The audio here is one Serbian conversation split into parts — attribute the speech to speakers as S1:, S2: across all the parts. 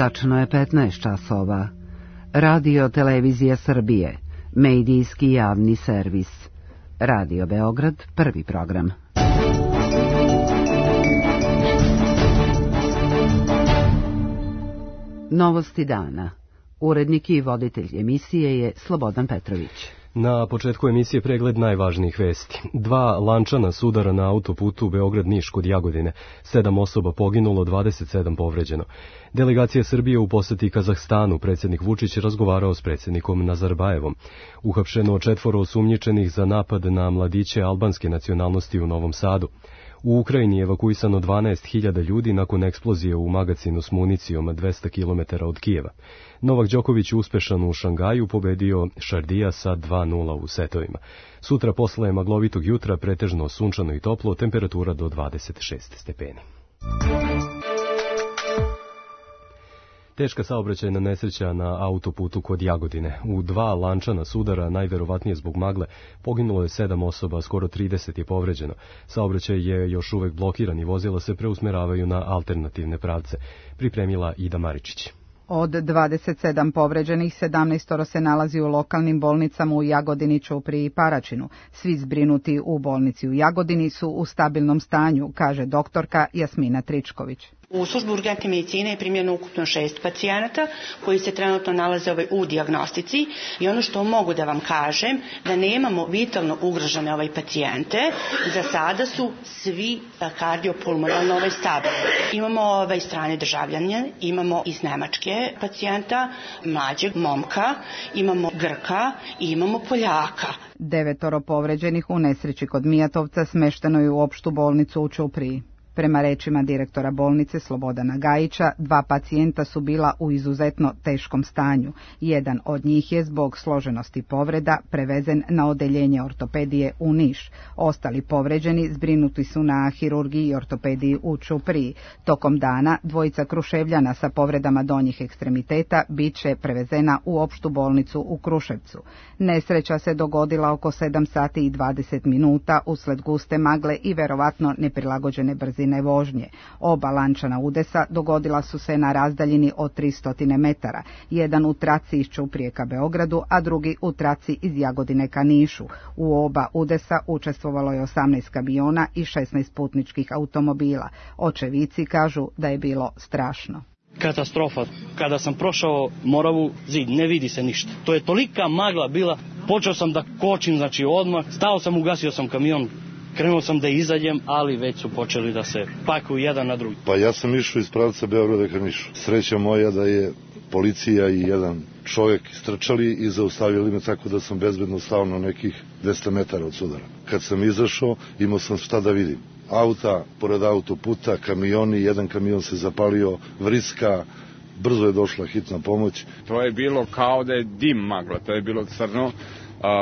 S1: Tačno je 15 časova. Radio Televizija Srbije, medijski javni servis. Radio Beograd, prvi program. Novosti dana. Urednik i voditelj emisije je Slobodan Petrović.
S2: Na početku emisije pregled najvažnijih vesti. 2 lančana sudara na autoputu Beograd-Niš kod Jagodine. 7 osoba poginulo, 27 povređeno. Delegacija Srbije u poseti Kazahstanu. Predsjednik Vučić razgovarao s predsjednikom Nazarbajevom. Uhapšeno 4 osumnjičenih za napad na mladiće albanske nacionalnosti u Novom Sadu. U Ukrajini je evakuisano 12.000 ljudi nakon eksplozije u magacinu s municijom 200 km od Kijeva. Novak Đoković uspešan u Šangaju pobedio Šardija sa 2:0 u setovima. Sutra posle maglovitog jutra pretežno sunčano i toplo, temperatura do 26 stepeni. Teška saobraćajna nesreća na autoputu kod Jagodine. U 2 lančana sudara, najverovatnije zbog magle, poginulo je 7 osoba, skoro 30 je povređeno. Saobraćaj je još uvek blokiran i vozila se preusmeravaju na alternativne pravce. Pripremila Ida Maričić.
S3: Od 27 povređenih, 17 se nalazi u lokalnim bolnicama u Jagodini, Ćupriji i Paraćinu. Svi zbrinuti u bolnici u Jagodini su u stabilnom stanju, kaže doktorka Jasmina Tričković.
S4: U službu urgentne medicine je primljeno ukupno 6 pacijenata koji se trenutno nalaze u dijagnostici i ono što mogu da vam kažem da nemamo vitalno ugrožene pacijente. Za sada su svi kardiopulmonalno stabilni. Imamo strane državljane, imamo iz Nemačke pacijenta, mlađeg momka, imamo Grka i imamo Poljaka.
S3: 9 povređenih u nesreći kod Mijatovca smešteno je u opštu bolnicu u Ćupriji. Prema rečima direktora bolnice Slobodana Gajića, 2 pacijenta su bila u izuzetno teškom stanju. Jedan od njih je zbog složenosti povreda prevezen na odeljenje ortopedije u Niš. Ostali povređeni zbrinuti su na hirurgiji i ortopediji u Ćupriji. Tokom dana 2 Kruševljana sa povredama donjih ekstremiteta bit će prevezena u opštu bolnicu u Kruševcu. Nesreća se dogodila oko 7 sati i 20 minuta usled guste magle i verovatno neprilagođene brzine vožnje. Oba lančana udesa dogodila su se na razdaljini od 300 metara, jedan u traci iz Ćuprije ka Beogradu, a drugi u traci iz Jagodine ka Nišu. U oba udesa učestvovalo je 18 kamiona i 16 putničkih automobila. Očevici kažu da je bilo strašno.
S5: Katastrofa. Kada sam prošao Moravu zid, ne vidi se ništa. To je tolika magla bila, počeo sam da kočim, odmah, stao sam, ugasio sam kamion. Krenuo sam da izađem, ali već su počeli da se pakuju jedan na drugi.
S6: Pa ja sam išao iz pravca Beograda ka Nišu. Sreća moja da je policija i jedan čovjek istrčali i zaustavili me, tako da sam bezbedno stao na nekih 200 metara od sudara. Kad sam izašao, imao sam šta da vidim. Auta, pored autoputa, kamioni, jedan kamion se zapalio, vriska, brzo je došla hitna pomoć.
S7: To je bilo kao da je dim magla, to je bilo crno.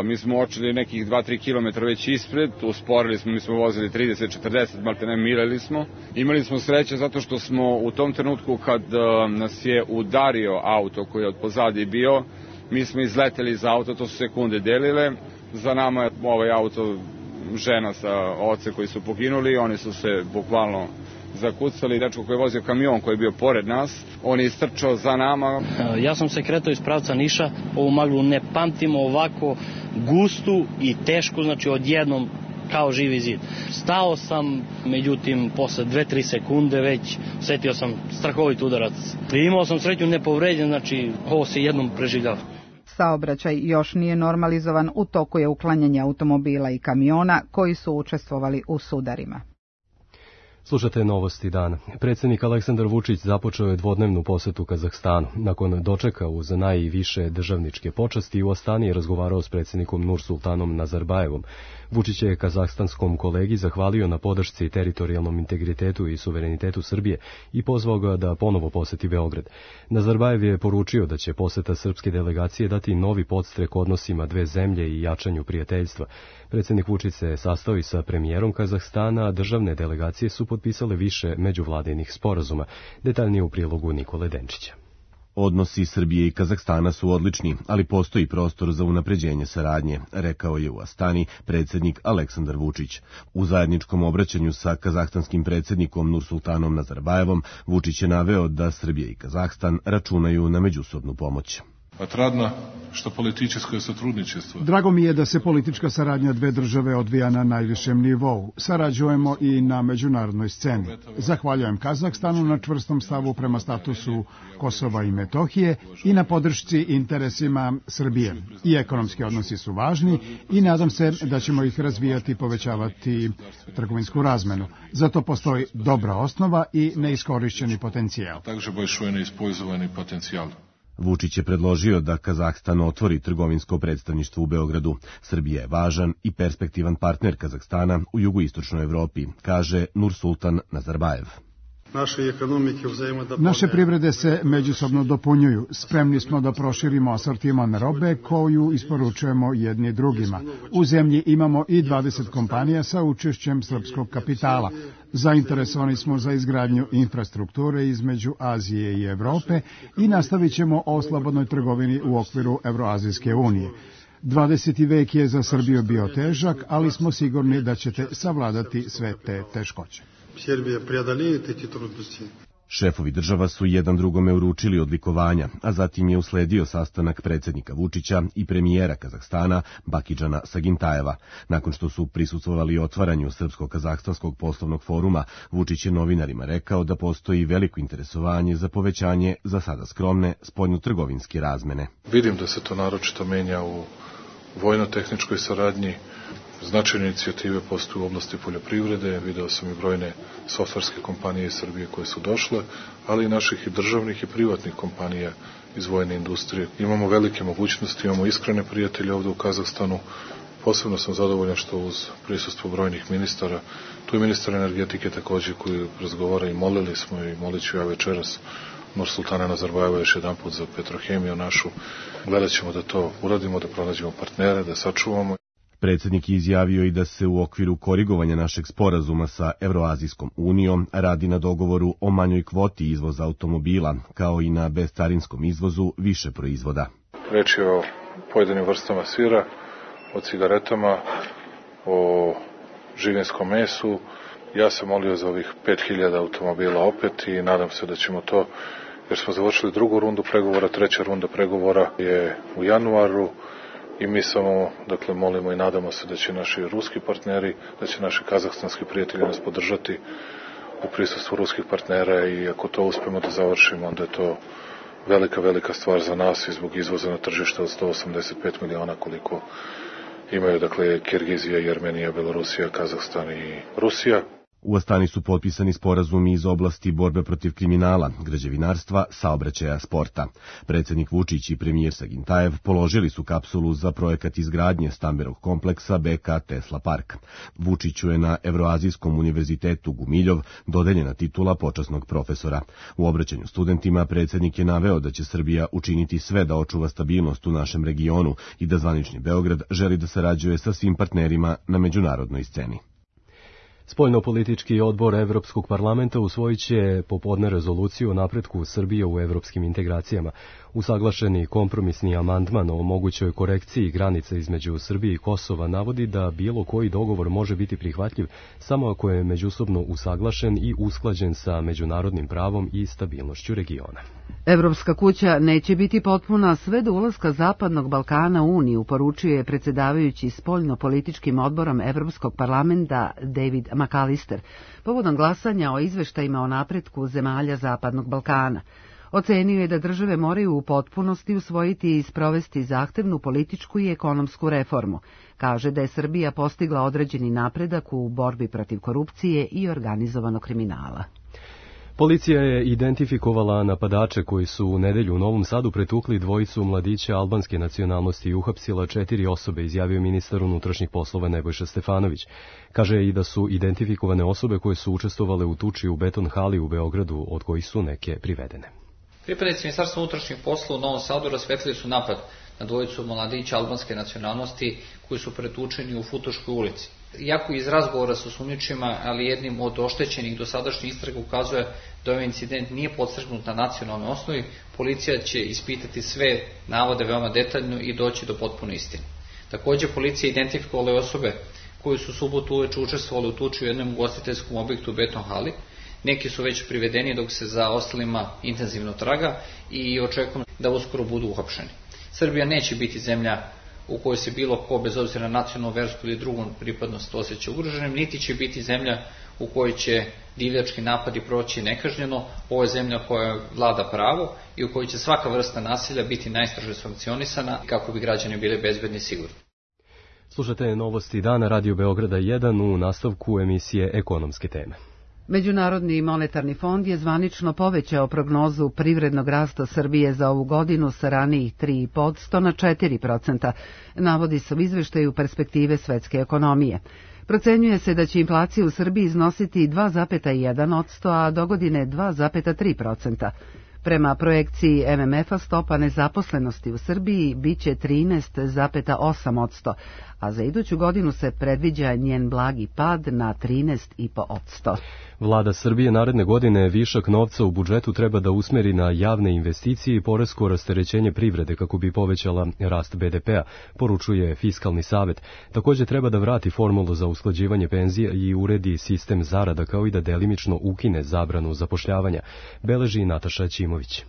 S7: Mi smo očeli nekih 2-3 km već ispred, usporili smo, mi smo vozili 30-40, maltene milili smo. Imali smo sreće zato što smo u tom trenutku kad nas je udario auto koji je od pozadi bio, mi smo izleteli iz auta, to su sekunde delile. Za nama je ovaj auto žena sa ocem koji su poginuli, oni su se bukvalno zakucali. Dečko koji je vozio kamion koji je bio pored nas, on je istrčao za nama.
S5: Ja sam se kretao iz pravca Niša, ovu maglu ne pamtimo ovako gustu i tešku, odjednom kao živi zid. Stao sam, međutim, posle 2-3 sekunde već setio sam strahovit udarac. Imao sam sreću nepovređen, ovo se jednom preživljava.
S3: Saobraćaj još nije normalizovan, u toku je uklanjanje automobila i kamiona koji su učestvovali u sudarima.
S2: Slušate novosti dana. Predsjednik Aleksandar Vučić započeo je dvodnevnu posetu Kazahstanu. Nakon dočeka uz najviše državničke počasti u Astani je razgovarao s predsjednikom Nursultanom Nazarbajevom. Vučić je kazahstanskom kolegi zahvalio na podršci teritorijalnom integritetu i suverenitetu Srbije i pozvao ga da ponovo poseti Beograd. Nazarbajev je poručio da će poseta srpske delegacije dati novi podstrek odnosima dve zemlje i jačanju prijateljstva. Predsjednik Vučić se sastao i sa premijerom Kazahstana, a državne delegacije su potpisale više međuvladinih sporazuma. Detaljnije u prilogu Nikole Denčića.
S8: Odnosi Srbije i Kazahstana su odlični, ali postoji prostor za unapređenje saradnje, rekao je u Astani predsjednik Aleksandar Vučić. U zajedničkom obraćanju sa kazahstanskim predsjednikom Nursultanom Nazarbajevom Vučić je naveo da Srbija i Kazahstan računaju na međusobnu pomoć.
S9: Отрадно, što političko сотрудничество.
S10: Drago mi je da se politička saradnja dve države odvija na najvišem nivou. Sarađujemo i na međunarodnoj sceni. Zahvaljujem Kazahstanu na čvrstom stavu prema statusu Kosova i Metohije i na podršci interesima Srbije. I ekonomski odnosi su važni i nadam se da ćemo ih razvijati i povećavati trgovinsku razmenu. Zato postoji dobra osnova i neiskorišćeni potencijal.
S9: Takže большой неиспользовani potencijal.
S8: Vučić je predložio da Kazahstan otvori trgovinsko predstavništvo u Beogradu. Srbija je važan i perspektivan partner Kazahstana u jugoistočnoj Evropi, kaže Nursultan Nazarbajev.
S10: Naše privrede se međusobno dopunjuju. Spremni smo da proširimo asortiman robe koju isporučujemo jedni drugima. U zemlji imamo i 20 kompanija sa učešćem srpskog kapitala. Zainteresovani smo za izgradnju infrastrukture između Azije i Evrope i nastavit ćemo o slobodnoj trgovini u okviru Evroazijske unije. 20. vek je za Srbiju bio težak, ali smo sigurni da ćete savladati sve te teškoće.
S8: Šefovi država su jedan drugome uručili odlikovanja, a zatim je usledio sastanak predsjednika Vučića i premijera Kazahstana Bakidžana Sagintajeva. Nakon što su prisustvovali otvaranju Srpsko-kazahstanskog poslovnog foruma, Vučić je novinarima rekao da postoji veliko interesovanje za povećanje za sada skromne spoljno-trgovinske razmene.
S9: Vidim da se to naročito menja u vojno-tehničkoj saradnji. Značajne inicijative postoje u oblasti poljoprivrede, video sam i brojne softverske kompanije iz Srbije koje su došle, ali i naših i državnih i privatnih kompanija iz vojne industrije. Imamo velike mogućnosti, imamo iskrene prijatelje ovde u Kazahstanu. Posebno sam zadovoljan što uz prisustvo brojnih ministara, tu je ministar energetike takođe koji razgovara i molili smo i molit ću ja večeras Nursultana Nazarbajeva još jedan put za Petrohemiju našu. Gledat ćemo da to uradimo, da pronađemo partnere, da sačuvamo.
S8: Predsjednik je izjavio i da se u okviru korigovanja našeg sporazuma sa Evroazijskom unijom radi na dogovoru o manjoj kvoti izvoza automobila, kao i na bezcarinskom izvozu više proizvoda.
S9: Reč je o pojedinim vrstama sira, o cigaretama, o živinskom mesu. Ja sam molio za ovih 5000 automobila opet i nadam se da ćemo to, jer smo završili drugu rundu pregovora, treća runda pregovora je u januaru. I mi samo, dakle, molimo i nadamo se da će naši ruski partneri, da će naši kazahstanski prijatelji nas podržati u prisustvu ruskih partnera i ako to uspemo da završimo, onda je to velika stvar za nas i zbog izvoza na tržište od 185 miliona koliko imaju, dakle, Kirgizija, Jermenija, Belorusija, Kazahstan i Rusija.
S8: U Astani su potpisani sporazumi iz oblasti borbe protiv kriminala, građevinarstva, saobraćaja, sporta. Predsjednik Vučić i premijer Sagintajev položili su kapsulu za projekat izgradnje stambenog kompleksa BK Tesla Park. Vučiću je na Evroazijskom univerzitetu Gumiljov dodeljena titula počasnog profesora. U obraćanju studentima predsjednik je naveo da će Srbija učiniti sve da očuva stabilnost u našem regionu i da zvanični Beograd želi da sarađuje sa svim partnerima na međunarodnoj sceni.
S2: Spoljnopolitički odbor Evropskog parlamenta usvojit će popodne rezoluciju o napretku Srbije u evropskim integracijama. Usaglašeni kompromisni amandman o mogućoj korekciji granica između Srbije i Kosova navodi da bilo koji dogovor može biti prihvatljiv samo ako je međusobno usaglašen i usklađen sa međunarodnim pravom i stabilnošću regiona.
S1: Evropska kuća neće biti potpuna sve do ulaska Zapadnog Balkana u Uniju, poručuje predsjedavajući spoljno-političkim odborom Evropskog parlamenta David McAllister, povodom glasanja o izveštajima o napretku zemalja Zapadnog Balkana. Ocenio je da države moraju u potpunosti usvojiti i sprovesti zahtevnu političku i ekonomsku reformu. Kaže da je Srbija postigla određeni napredak u borbi protiv korupcije i organizovanog kriminala.
S2: Policija je identifikovala napadače koji su u nedelju u Novom Sadu pretukli dvojicu mladića albanske nacionalnosti i uhapsila 4 osobe, izjavio ministar unutrašnjih poslova Nebojša Stefanović. Kaže i da su identifikovane osobe koje su učestvovale u tuči u Beton hali u Beogradu, od kojih su neke privedene.
S11: Pripadnici Ministarstva unutrašnjih poslova u Novom Sadu rasvetlili su napad na dvojicu mladića albanske nacionalnosti koji su pretučeni u Futoškoj ulici. Iako iz razgovora sa osumnjičima, ali jednim od oštećenih dosadašnjih istraga ukazuje da ovaj incident nije podstrgnut na nacionalnoj osnovi, policija će ispitati sve navode veoma detaljno i doći do potpune istine. Također, policija identifikovala osobe koji su subotu uveče učestvovali u tuči u jednom ugostiteljskom objektu u Beton hali. Neki su već privedeni, dok se za ostalima intenzivno traga i očekujem da uskoro budu uhapšeni. Srbija neće biti zemlja u kojoj se bilo ko, bez obzira na nacionalnu, versku ili drugu pripadnost, osjeća ugroženim, niti će biti zemlja u kojoj će divljački napadi proći nekažnjeno. Ovo je zemlja koja vlada pravo i u kojoj će svaka vrsta nasilja biti najstrože sankcionisana kako bi građani bili bezbedni i sigurni.
S2: Slušate novosti dana Radio Beograda 1 u nastavku emisije Ekonomske teme.
S1: Međunarodni monetarni fond je zvanično povećao prognozu privrednog rasta Srbije za ovu godinu sa ranijih 3,5% na 4%, navodi se u izveštaju perspektive svetske ekonomije. Procenjuje se da će inflacija u Srbiji iznositi 2,1%, a dogodine 2,3%. Prema projekciji MMF-a stopa nezaposlenosti u Srbiji biće 13,8%, a za iduću godinu se predviđa njen blagi pad na 13,5%.
S2: Vlada Srbije naredne godine višak novca u budžetu treba da usmeri na javne investicije i poresko rasterećenje privrede kako bi povećala rast BDP-a, poručuje Fiskalni savet. Također treba da vrati formulu za usklađivanje penzija i uredi sistem zarada, kao i da delimično ukine zabranu zapošljavanja, beleži Nataša Ćimović.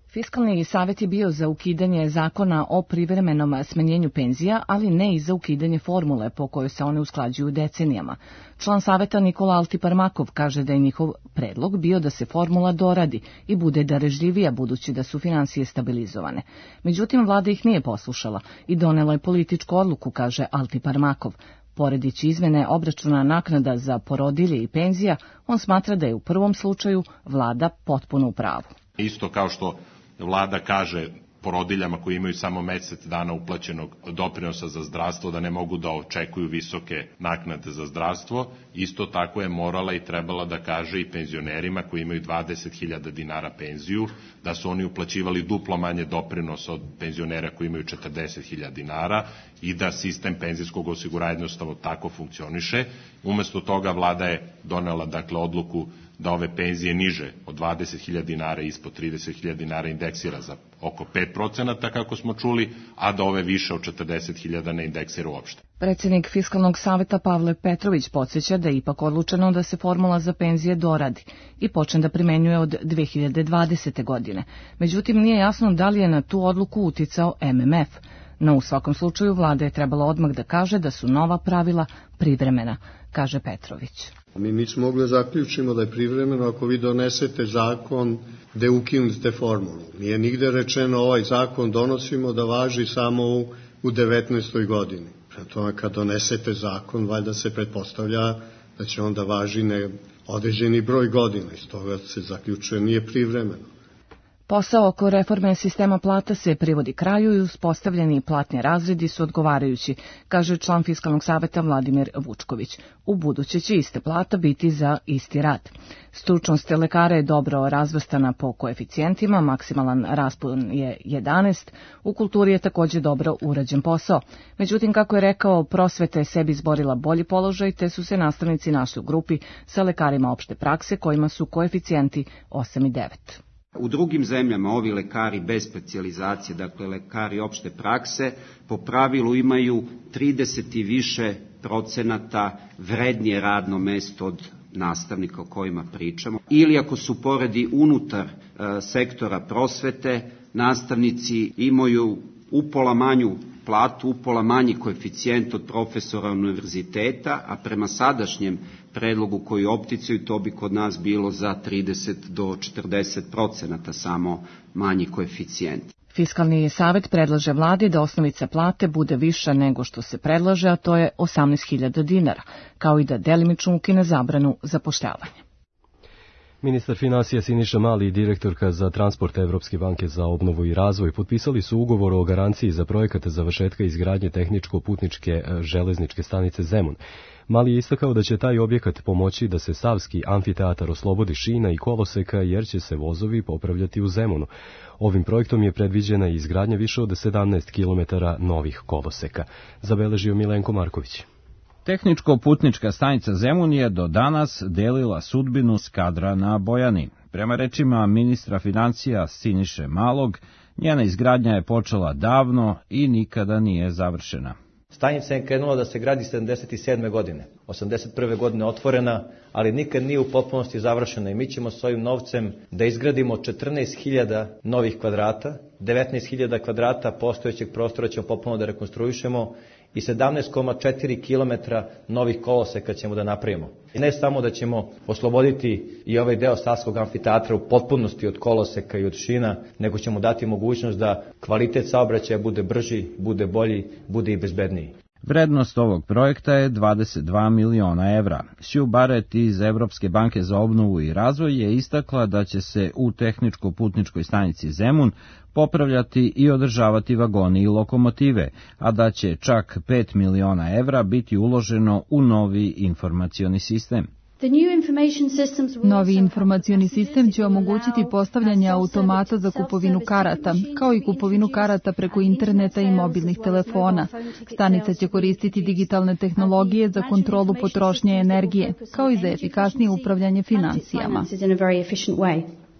S12: Fiskalni savet je bio za ukidanje zakona o privremenom smanjenju penzija, ali ne i za ukidanje formule po kojoj se one usklađuju decenijama. Član saveta Nikola Altiparmakov kaže da je njihov predlog bio da se formula doradi i bude darežljivija budući da su finansije stabilizovane. Međutim, vlada ih nije poslušala i donela je političku odluku, kaže Altiparmakov. Poredići izmene obračuna naknada za porodilje i penzija, on smatra da je u prvom slučaju vlada potpuno u pravu.
S13: Isto kao što vlada kaže porodiljama koji imaju samo mesec dana uplaćenog doprinosa za zdravstvo da ne mogu da očekuju visoke naknade za zdravstvo, isto tako je morala i trebala da kaže i penzionerima koji imaju 20.000 dinara penziju, da su oni uplaćivali duplo manje doprinosa od penzionera koji imaju 40.000 dinara i da sistem penzijskog osiguranja jednostavno tako funkcioniše. Umesto toga vlada je donela odluku da ove penzije niže od 20.000 dinara i ispod 30.000 dinara indeksira za oko 5%, kako smo čuli, a da ove više od 40.000 ne indeksira uopšte.
S12: Predsjednik Fiskalnog saveta Pavle Petrović podsjeća da je ipak odlučeno da se formula za penzije doradi i počne da primenjuje od 2020. godine. Međutim, nije jasno da li je na tu odluku uticao MMF. No u svakom slučaju vlada je trebala odmah da kaže da su nova pravila privremena, kaže Petrović.
S14: Mi nismo mogli da zaključimo da je privremeno ako vi donesete zakon gde ukinete formulu. Nije nigde rečeno ovaj zakon donosimo da važi samo u 19. godini. Prema tome kad donesete zakon, valjda se pretpostavlja da će onda važi određeni broj godina. Iz toga se zaključuje nije privremeno.
S12: Posao oko reforme sistema plata se privodi kraju i uspostavljeni platni razredi su odgovarajući, kaže član Fiskalnog saveta Vladimir Vučković. U buduće će iste plata biti za isti rad. Stručnost lekara je dobro razvrstana po koeficijentima, maksimalan raspon je 11, u kulturi je također dobro urađen posao. Međutim, kako je rekao, prosveta je sebi izborila bolji položaj, te su se nastavnici našli u grupi sa lekarima opšte prakse kojima su koeficijenti 8 i 9.
S15: U drugim zemljama ovi lekari bez specijalizacije, dakle lekari opšte prakse, po pravilu imaju 30 i više procenata vrednije radno mesto od nastavnika o kojima pričamo. Ili ako su poredi unutar sektora prosvete, nastavnici imaju upola manju platu, upola manji koeficijent od profesora univerziteta, a prema sadašnjem predlogu koji opticaju to bi kod nas bilo za 30 do 40% samo manji koeficijent.
S12: Fiskalni savet predlaže vladi da osnovica plate bude viša nego što se predlaže, a to je 18.000 dinara, kao i da delimično ukine zabranu zapošljavanja.
S2: Ministar finansija Siniša Mali i direktorka za transport Evropske banke za obnovu i razvoj potpisali su ugovor o garanciji za projekat završetka izgradnje tehničko-putničke železničke stanice Zemun. Mali je istakao da će taj objekat pomoći da se Savski amfiteatar oslobodi šina i koloseka jer će se vozovi popravljati u Zemunu. Ovim projektom je predviđena izgradnja više od 17 km novih koloseka, zabeležio Milenko Marković.
S16: Tehničko-putnička stanica Zemun je do danas delila sudbinu Skadra na Bojani. Prema rečima ministra financija Siniše Malog, njena izgradnja je počela davno i nikada nije završena.
S17: Stanica je krenula da se gradi 77. godine, 81. godine otvorena, ali nikad nije u potpunosti završena i mi ćemo s ovim novcem da izgradimo 14.000 novih kvadrata, 19.000 kvadrata postojećeg prostora ćemo potpuno da rekonstruišemo i 17,4 km novih koloseka ćemo da napravimo. I ne samo da ćemo osloboditi i ovaj deo Savskog amfiteatra u potpunosti od koloseka i od šina, nego ćemo dati mogućnost da kvalitet saobraćaja bude brži, bude bolji, bude i bezbedniji.
S16: Vrednost ovog projekta je 22 miliona evra. Sue Barrett iz Evropske banke za obnovu i razvoj je istakla da će se u tehničko-putničkoj stanici Zemun popravljati i održavati vagoni i lokomotive, a da će čak 5 miliona evra biti uloženo u novi informacioni sistem.
S18: Novi informacioni sistem će omogućiti postavljanje automata za kupovinu karata, kao i kupovinu karata preko interneta i mobilnih telefona. Stanica će koristiti digitalne tehnologije za kontrolu potrošnje energije, kao i za efikasnije upravljanje finansijama.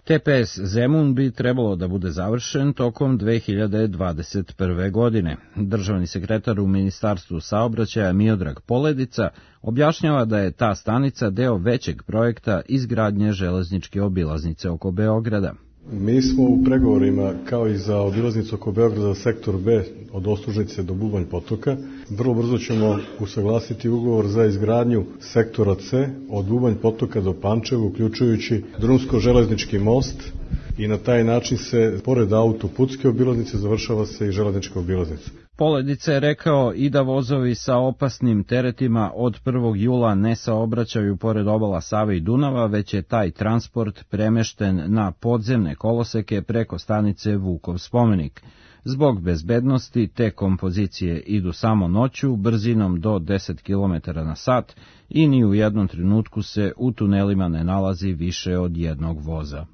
S16: TPS Zemun bi trebalo da bude završen tokom 2021. godine. Državni sekretar u Ministarstvu saobraćaja Miodrag Poledica objašnjava da je ta stanica deo većeg projekta izgradnje železničke obilaznice oko Beograda.
S19: Mi smo u pregovorima, kao i za obilaznicu oko Beograda, sektor B od Ostružnice do Bubanj potoka. Vrlo brzo ćemo usaglasiti ugovor za izgradnju sektora C od Bubanj potoka do Pančeva, uključujući drumsko-železnički most, i na taj način se, pored autoputske obilaznice, završava se i železnička obilaznica.
S16: Poledica je rekao i da vozovi sa opasnim teretima od 1. jula ne saobraćaju pored obala Save i Dunava, već je taj transport premešten na podzemne koloseke preko stanice Vukov spomenik. Zbog bezbednosti te kompozicije idu samo noću, brzinom do 10 km na sat i ni u jednom trenutku se u tunelima ne nalazi više od jednog voza.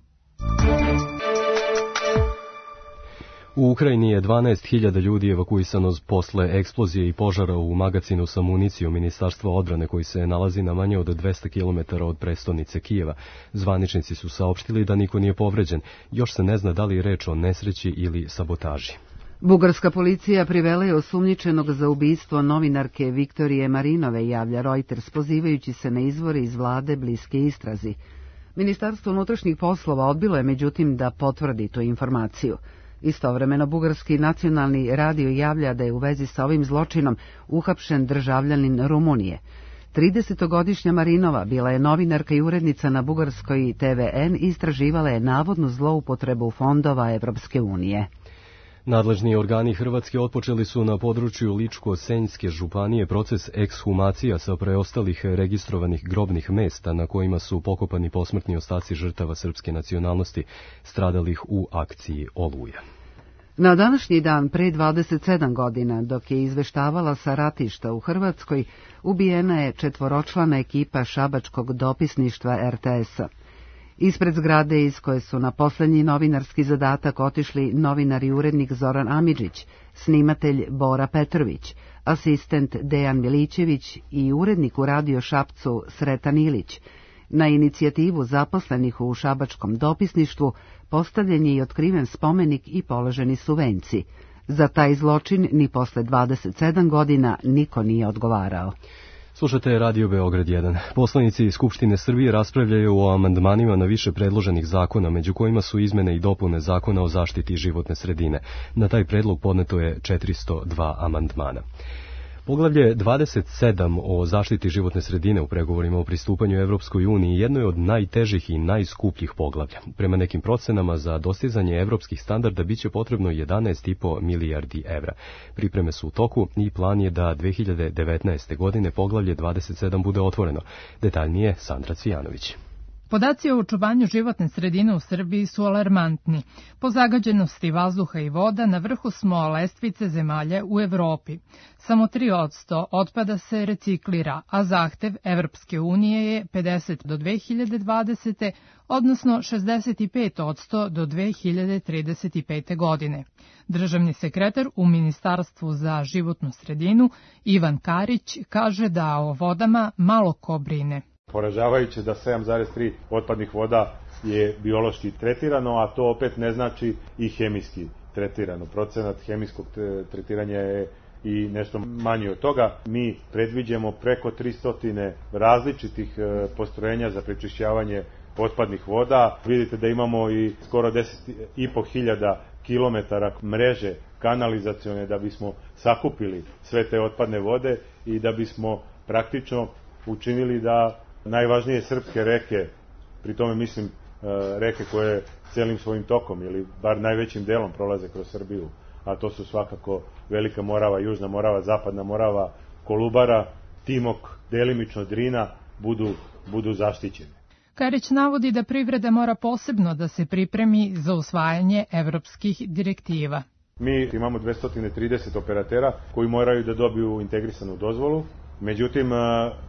S2: U Ukrajini je 12.000 ljudi evakuisano posle eksplozije i požara u magacinu sa municijom Ministarstva odbrane koji se nalazi na manje od 200 km od prestonice Kijeva. Zvaničnici su saopštili da niko nije povređen. Još se ne zna da li je reč o nesreći ili sabotaži.
S1: Bugarska policija privela je osumnjičenog za ubistvo novinarke Viktorije Marinove, javlja Reuters, pozivajući se na izvore iz vlade bliske istrazi. Ministarstvo unutrašnjih poslova odbilo je međutim da potvrdi tu informaciju. Istovremeno, bugarski nacionalni radio javlja da je u vezi sa ovim zločinom uhapšen državljanin Rumunije. 30-godišnja Marinova bila je novinarka i urednica na bugarskoj TVN i istraživala je navodnu zloupotrebu fondova Evropske unije.
S2: Nadležni organi Hrvatske otpočeli su na području Ličko-Senjske županije proces ekshumacija sa preostalih registrovanih grobnih mesta na kojima su pokopani posmrtni ostaci žrtava srpske nacionalnosti stradalih u akciji Oluja.
S1: Na današnji dan pre 27 godina, dok je izveštavala sa ratišta u Hrvatskoj, ubijena je 4-člana ekipa šabačkog dopisništva RTS-a. Ispred zgrade iz koje su na poslednji novinarski zadatak otišli novinar i urednik Zoran Amidžić, snimatelj Bora Petrović, asistent Dejan Milićević i urednik u Radio Šapcu Sretan Ilić. Na inicijativu zaposlenih u šabačkom dopisništvu postavljen je i otkriven spomenik i položeni su venci. Za taj zločin ni posle 27 godina niko nije odgovarao.
S2: Slušate Radio Beograd 1. Poslanici Skupštine Srbije raspravljaju o amandmanima na više predloženih zakona, među kojima su izmene i dopune Zakona o zaštiti životne sredine. Na taj predlog podneto je 402 amandmana. Poglavlje 27 o zaštiti životne sredine u pregovorima o pristupanju Evropskoj uniji jedno je od najtežih i najskupljih poglavlja. Prema nekim procenama za dostizanje evropskih standarda biće potrebno 11,5 milijardi evra. Pripreme su u toku i plan je da 2019. godine poglavlje 27 bude otvoreno. Detaljnije Sandra Cvijanović.
S20: Podaci o očuvanju životne sredine u Srbiji su alarmantni. Po zagađenosti vazduha i voda na vrhu smo lestvice zemalja u Evropi. Samo 3% otpada se reciklira, a zahtev Evropske unije je 50 do 2020. odnosno 65% do 2035. godine. Državni sekretar u Ministarstvu za životnu sredinu Ivan Karić kaže da o vodama malo ko brine.
S21: Poražavajuće da 7,3 otpadnih voda je biološki tretirano, a to opet ne znači i hemijski tretirano. Procenat hemijskog tretiranja je i nešto manji od toga. Mi predviđamo preko 300 različitih postrojenja za prečišćavanje otpadnih voda. Vidite da imamo i skoro 10.500 kilometara mreže kanalizacione da bismo sakupili sve te otpadne vode i da bismo praktično učinili da najvažnije srpske reke, pri tome mislim reke koje celim svojim tokom ili bar najvećim delom prolaze kroz Srbiju, a to su svakako Velika Morava, Južna Morava, Zapadna Morava, Kolubara, Timok, delimično Drina, budu zaštićene.
S20: Karić navodi da privreda mora posebno da se pripremi za usvajanje evropskih direktiva.
S21: Mi imamo 230 operatera koji moraju da dobiju integrisanu dozvolu. Međutim,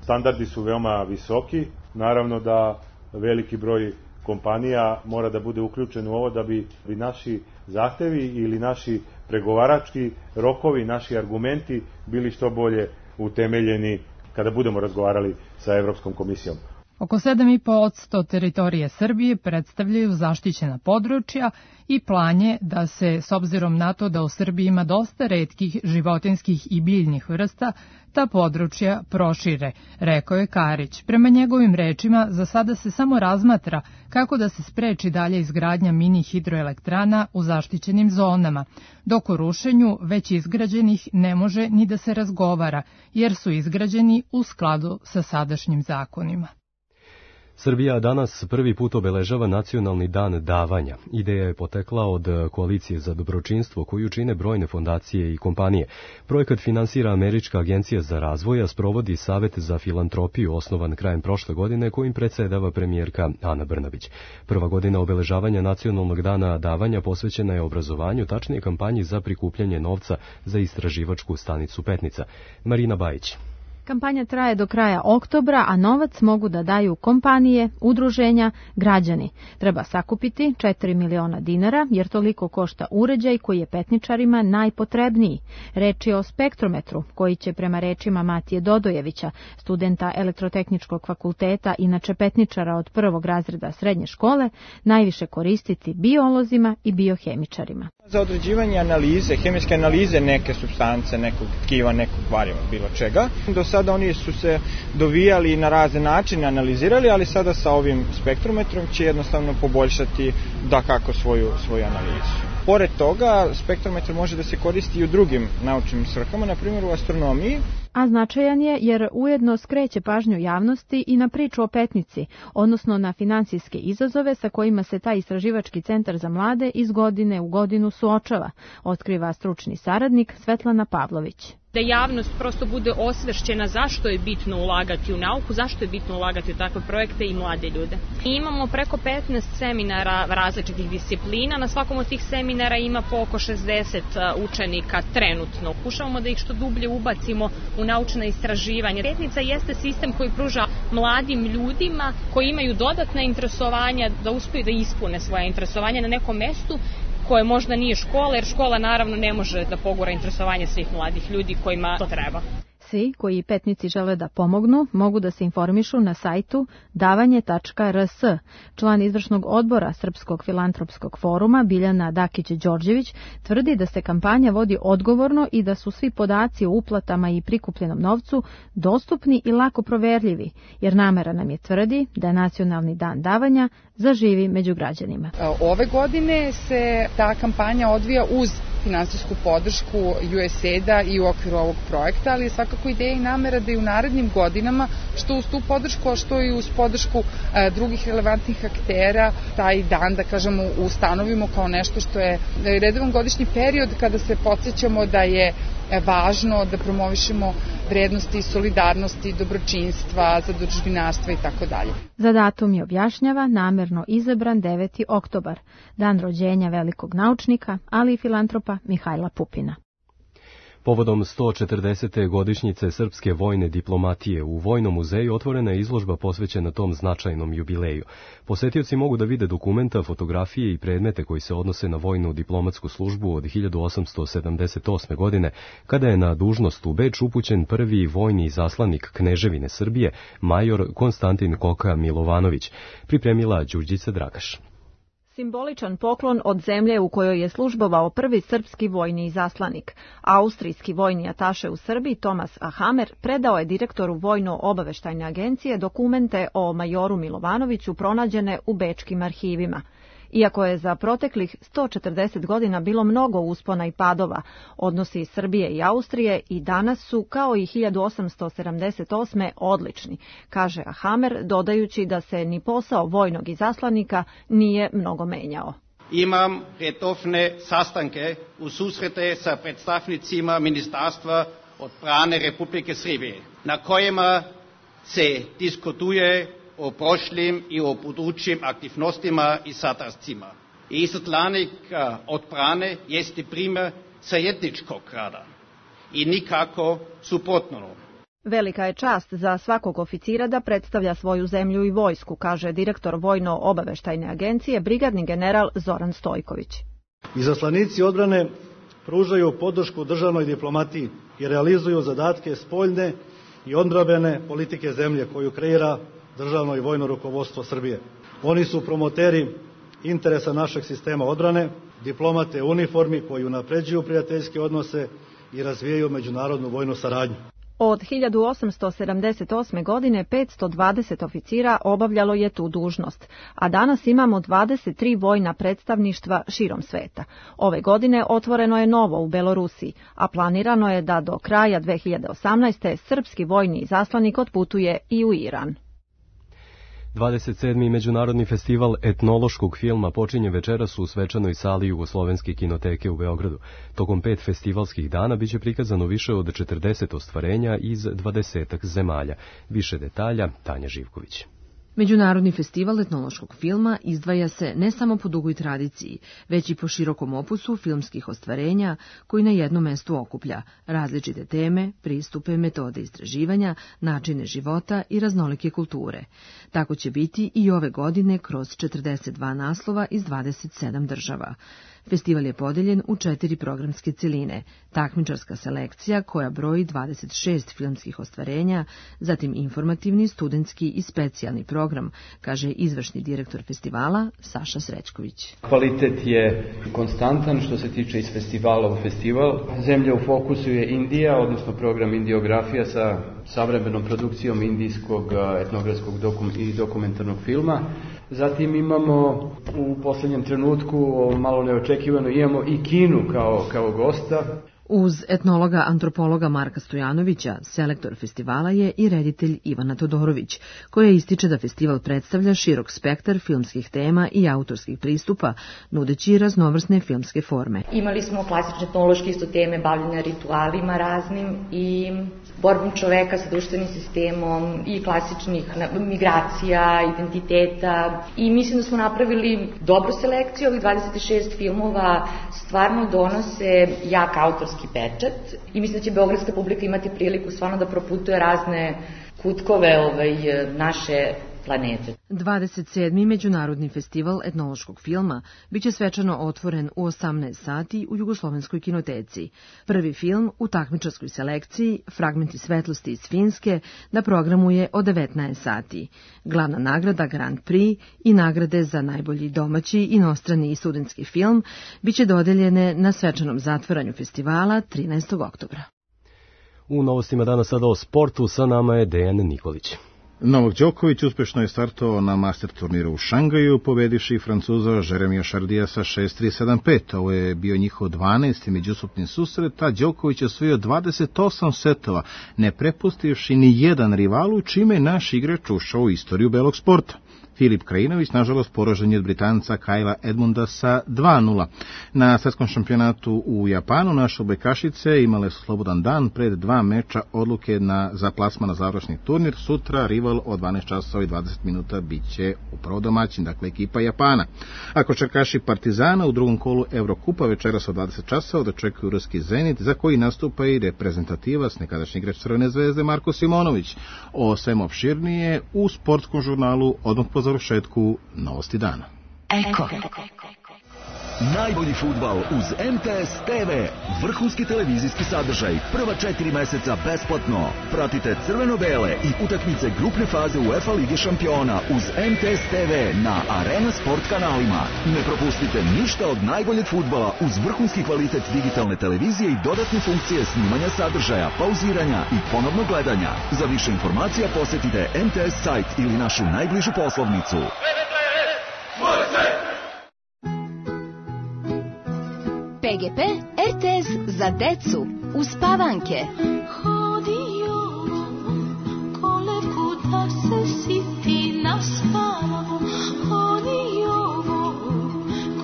S21: standardi su veoma visoki. Naravno da veliki broj kompanija mora da bude uključen u ovo da bi naši zahtevi ili naši pregovarački rokovi, naši argumenti bili što bolje utemeljeni kada budemo razgovarali sa Evropskom komisijom.
S20: Oko 7,5% teritorije Srbije predstavljaju zaštićena područja i plan je da se, s obzirom na to da u Srbiji ima dosta retkih životinjskih i biljnih vrsta, ta područja prošire, rekao je Karić. Prema njegovim rečima, za sada se samo razmatra kako da se spreči dalje izgradnja mini hidroelektrana u zaštićenim zonama, dok o rušenju već izgrađenih ne može ni da se razgovara, jer su izgrađeni u skladu sa sadašnjim zakonima.
S2: Srbija danas prvi put obeležava Nacionalni dan davanja. Ideja je potekla od Koalicije za dobročinstvo koju čine brojne fondacije i kompanije. Projekat finansira Američka agencija za razvoj, a sprovodi Savet za filantropiju osnovan krajem prošle godine kojim predsedava premijerka Ana Brnabić. Prva godina obeležavanja Nacionalnog dana davanja posvećena je obrazovanju, tačnije kampanji za prikupljanje novca za istraživačku stanicu Petnica. Marina Bajić.
S22: Kampanja traje do kraja oktobra, a novac mogu da daju kompanije, udruženja, građani. Treba sakupiti 4 miliona dinara, jer toliko košta uređaj koji je petničarima najpotrebniji. Reč je o spektrometru, koji će prema rečima Matije Dodojevića, studenta Elektrotehničkog fakulteta, inače petničara od 1. razreda srednje škole, najviše koristiti biolozima i biohemičarima.
S23: Za određivanje analize, hemijske analize neke supstance, nekog tkiva, nekog variva, bilo čega. Do sada oni su se dovijali na razne načine, analizirali, ali sada sa ovim spektrometrom će jednostavno poboljšati dakako svoju analizu. Pored toga, spektrometar može da se koristi i u drugim naučnim svrhama, na primjer u astronomiji.
S22: A značajan je jer ujedno skreće pažnju javnosti i na priču o Petnici, odnosno na finansijske izazove sa kojima se taj istraživački centar za mlade iz godine u godinu suočava, otkriva stručni saradnik Svetlana Pavlović.
S24: Da javnost prosto bude osvešćena zašto je bitno ulagati u nauku, zašto je bitno ulagati u takve projekte i mlade ljude. I imamo preko 15 seminara različitih disciplina, na svakom od tih seminara ima po oko 60 učenika trenutno. Pokušavamo da ih što dublje ubacimo u naučna istraživanja. Petnica jeste sistem koji pruža mladim ljudima koji imaju dodatna interesovanja da uspeju da ispune svoje interesovanja na nekom mestu koje možda nije škola, jer škola naravno ne može da pogura interesovanje svih mladih ljudi kojima to treba.
S22: Svi koji Petnici žele da pomognu mogu da se informišu na sajtu davanje.rs. Član izvršnog odbora Srpskog filantropskog foruma Biljana Dakić-Đorđević tvrdi da se kampanja vodi odgovorno i da su svi podaci o uplatama i prikupljenom novcu dostupni i lako proverljivi, jer namera nam je tvrdi da je Nacionalni dan davanja zaživi među građanima.
S25: Ove godine se ta kampanja odvija uz finansijsku podršku USAID-a i u okviru ovog projekta, ali je svakako ideja i namera da i u narednim godinama, što uz tu podršku, a što i uz podršku drugih relevantnih aktera, taj dan, da kažemo, ustanovimo kao nešto što je redovan godišnji period kada se podsjećamo da je važno da promovišemo vrednosti solidarnosti, dobročinstva, zadužbinarstva i tako dalje.
S22: Za datum je objašnjava namerno izabran 9. oktobar, dan rođenja velikog naučnika, ali i filantropa Mihajla Pupina.
S2: Povodom 140. godišnjice srpske vojne diplomatije u Vojnom muzeju otvorena je izložba posvećena tom značajnom jubileju. Posetioci mogu da vide dokumenta, fotografije i predmete koji se odnose na vojnu diplomatsku službu od 1878. godine, kada je na dužnost u Beč upućen prvi vojni izaslanik Kneževine Srbije, major Konstantin Koka Milovanović, pripremila Đurđica Dragaš.
S3: Simboličan poklon od zemlje u kojoj je službovao prvi srpski vojni izaslanik. Austrijski vojni ataše u Srbiji Tomas Ahamer predao je direktoru Vojno-obaveštajne agencije dokumente o majoru Milovanoviću pronađene u bečkim arhivima. Iako je za proteklih 140 godina bilo mnogo uspona i padova, odnosi Srbije i Austrije i danas su, kao i 1878. odlični, kaže Ahamer, dodajući da se ni posao vojnog izaslanika nije mnogo menjao.
S4: Imam redovne sastanke u susrete sa predstavnicima Ministarstva odbrane Republike Srbije, na kojima se diskutuje o prošlim i o budućim aktivnostima i sastancima. Izaslanik odbrane jeste primer zajedničkog rada i nikako suprotno.
S3: Velika je čast za svakog oficira da predstavlja svoju zemlju i vojsku, kaže direktor Vojno-obaveštajne agencije, brigadni general Zoran Stojković.
S5: Izaslanici odbrane pružaju podršku državnoj diplomatiji i realizuju zadatke spoljne i odbrambene politike zemlje koju kreira državno i vojno rukovodstvo Srbije. Oni su promoteri interesa našeg sistema odbrane, diplomate u uniformi koji unapređuju prijateljske odnose i razvijaju međunarodnu vojnu saradnju.
S3: Od 1878. godine 520 oficira obavljalo je tu dužnost, a danas imamo 23 vojna predstavništva širom sveta. Ove godine otvoreno je novo u Belorusiji, a planirano je da do kraja 2018. srpski vojni izaslanik otputuje i u Iran.
S2: 27. Međunarodni festival etnološkog filma počinje večeras u svečanoj sali Jugoslovenske kinoteke u Beogradu. Tokom 5 festivalskih dana biće prikazano više od 40 ostvarenja iz 20 zemalja. Više detalja Tanja Živković.
S6: Međunarodni festival etnološkog filma izdvaja se ne samo po dugoj tradiciji, već i po širokom opusu filmskih ostvarenja koji na jednom mestu okuplja različite teme, pristupe, metode istraživanja, načine života i raznolike kulture. Tako će biti i ove godine kroz 42 naslova iz 27 država. Festival je podeljen u 4 programske celine, takmičarska selekcija koja broji 26 filmskih ostvarenja, zatim informativni, studentski i specijalni program, kaže izvršni direktor festivala Saša Srećković.
S7: Kvalitet je konstantan što se tiče iz festivala u festival. Zemlja u fokusu je Indija, odnosno program Indiografija sa savremenom produkcijom indijskog etnografskog i dokumentarnog filma. Zatim imamo u posljednjem trenutku, malo neočekivano, imamo i Kinu kao gosta.
S6: Uz etnologa antropologa Marka Stojanovića, selektor festivala je i reditelj Ivana Todorović, koja ističe da festival predstavlja širok spektar filmskih tema i autorskih pristupa, nudeći raznovrsne filmske forme.
S26: Imali smo klasične etnološke isto teme bavljanja ritualima raznim i borbom čoveka sa društvenim sistemom i klasičnih migracija, identiteta i mislim da smo napravili dobru selekciju. Ovih 26 filmova stvarno donose jak autorski pečat i mislim da će beogradska publika imati priliku stvarno da proputuje razne kutkove naše planete.
S6: 27. Međunarodni festival etnološkog filma biće svečano otvoren u 18 sati u Jugoslovenskoj kinoteci. Prvi film u takmičarskoj selekciji Fragmenti svetlosti iz Finske na programu je od 19 sati. Glavna nagrada Grand Prix i nagrade za najbolji domaći, inostrani i studentski film biće dodeljene na svečanom zatvaranju festivala 13. oktobra.
S2: U novostima danas sada o sportu, sa nama je Dejan Nikolić.
S27: Novak Đoković uspešno je startovao na master turniru u Šangaju, pobedivši Francuza Jeremija Šardija sa 6-3-7-5. Ovo je bio njihov 12. međusobni susret, a Đoković je osvojio 28 setova, ne prepustivši ni jedan rivalu, čime je naš igrač ušao u istoriju belog sporta. Filip Krajinović, nažalost, poražen je od Britanca Kajla Edmunda sa 2:0. Na svetskom šampionatu u Japanu naše odbojkašice imale su slobodan dan pred 2 meča odluke za plasman na završni turnir. Sutra rival od 12 časova i 20 minuta biće upravo domaćin, dakle ekipa Japana. A košarkaši Partizana u drugom kolu Evrokupa večeras od 20 časova dočekuju ruski Zenit, za koji nastupa i reprezentativac, nekadašnji igrač Crvene zvezde Marko Simonović. O svemu opširnije u sportskom žurnalu odmah po završetku Novosti dana.
S8: Eko. Najbolji fudbal uz MTS TV. Vrhunski televizijski sadržaj. Prva 4 meseca besplatno. Pratite crveno-bele i utakmice grupne faze UEFA Lige šampiona uz MTS TV na Arena Sport kanalima. Ne propustite ništa od najboljeg fudbala uz vrhunski kvalitet digitalne televizije i dodatne funkcije snimanja sadržaja, pauziranja i ponovnog gledanja. Za više informacija posetite MTS sajt ili našu najbližu poslovnicu.
S9: PGP RTS za decu uspavanke.
S10: Hodio kolevku da se siti naspavamo. Hodio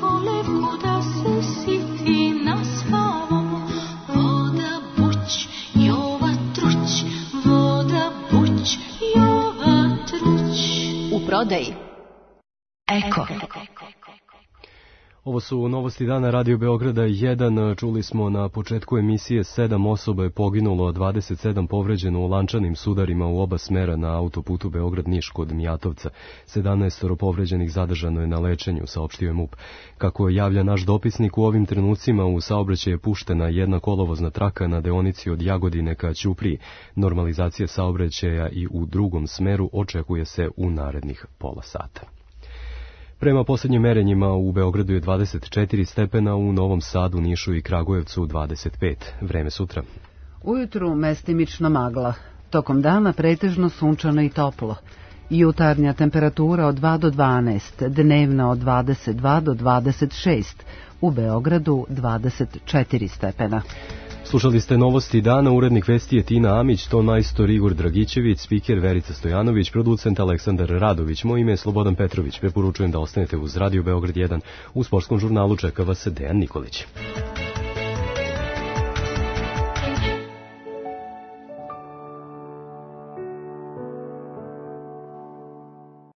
S10: kolevku da se siti naspavamo. Voda buć, Jova truć. Voda buć, Jova truć.
S9: U prodaji Eko.
S2: Ovo su novosti dana Radio Beograda 1. Čuli smo na početku emisije 7 osoba je poginulo, 27 povređeno u lančanim sudarima u oba smera na autoputu Beograd-Niš kod Mijatovca. 17 povređenih zadržano je na lečenju, saopštio je MUP. Kako javlja naš dopisnik, u ovim trenucima u saobraćaj je puštena jedna kolovozna traka na deonici od Jagodine ka Ćupriji. Normalizacija saobraćaja i u drugom smeru očekuje se u narednih pola sata. Prema posljednjim merenjima u Beogradu je 24 stepena, u Novom Sadu, Nišu i Kragujevcu 25. Vreme sutra.
S1: Ujutru mestimično magla, tokom dana pretežno sunčano i toplo. Jutarnja temperatura od 2 do 12, dnevna od 22 do 26, u Beogradu 24 stepena.
S2: Slušali ste novosti dana, urednik vesti je Tina Amić, ton majstor Igor Dragićević, spiker Verica Stojanović, producent Aleksandar Radović, moje ime je Slobodan Petrović. Preporučujem da ostanete uz Radio Beograd 1, u sportskom žurnalu čeka vas Dejan Nikolić.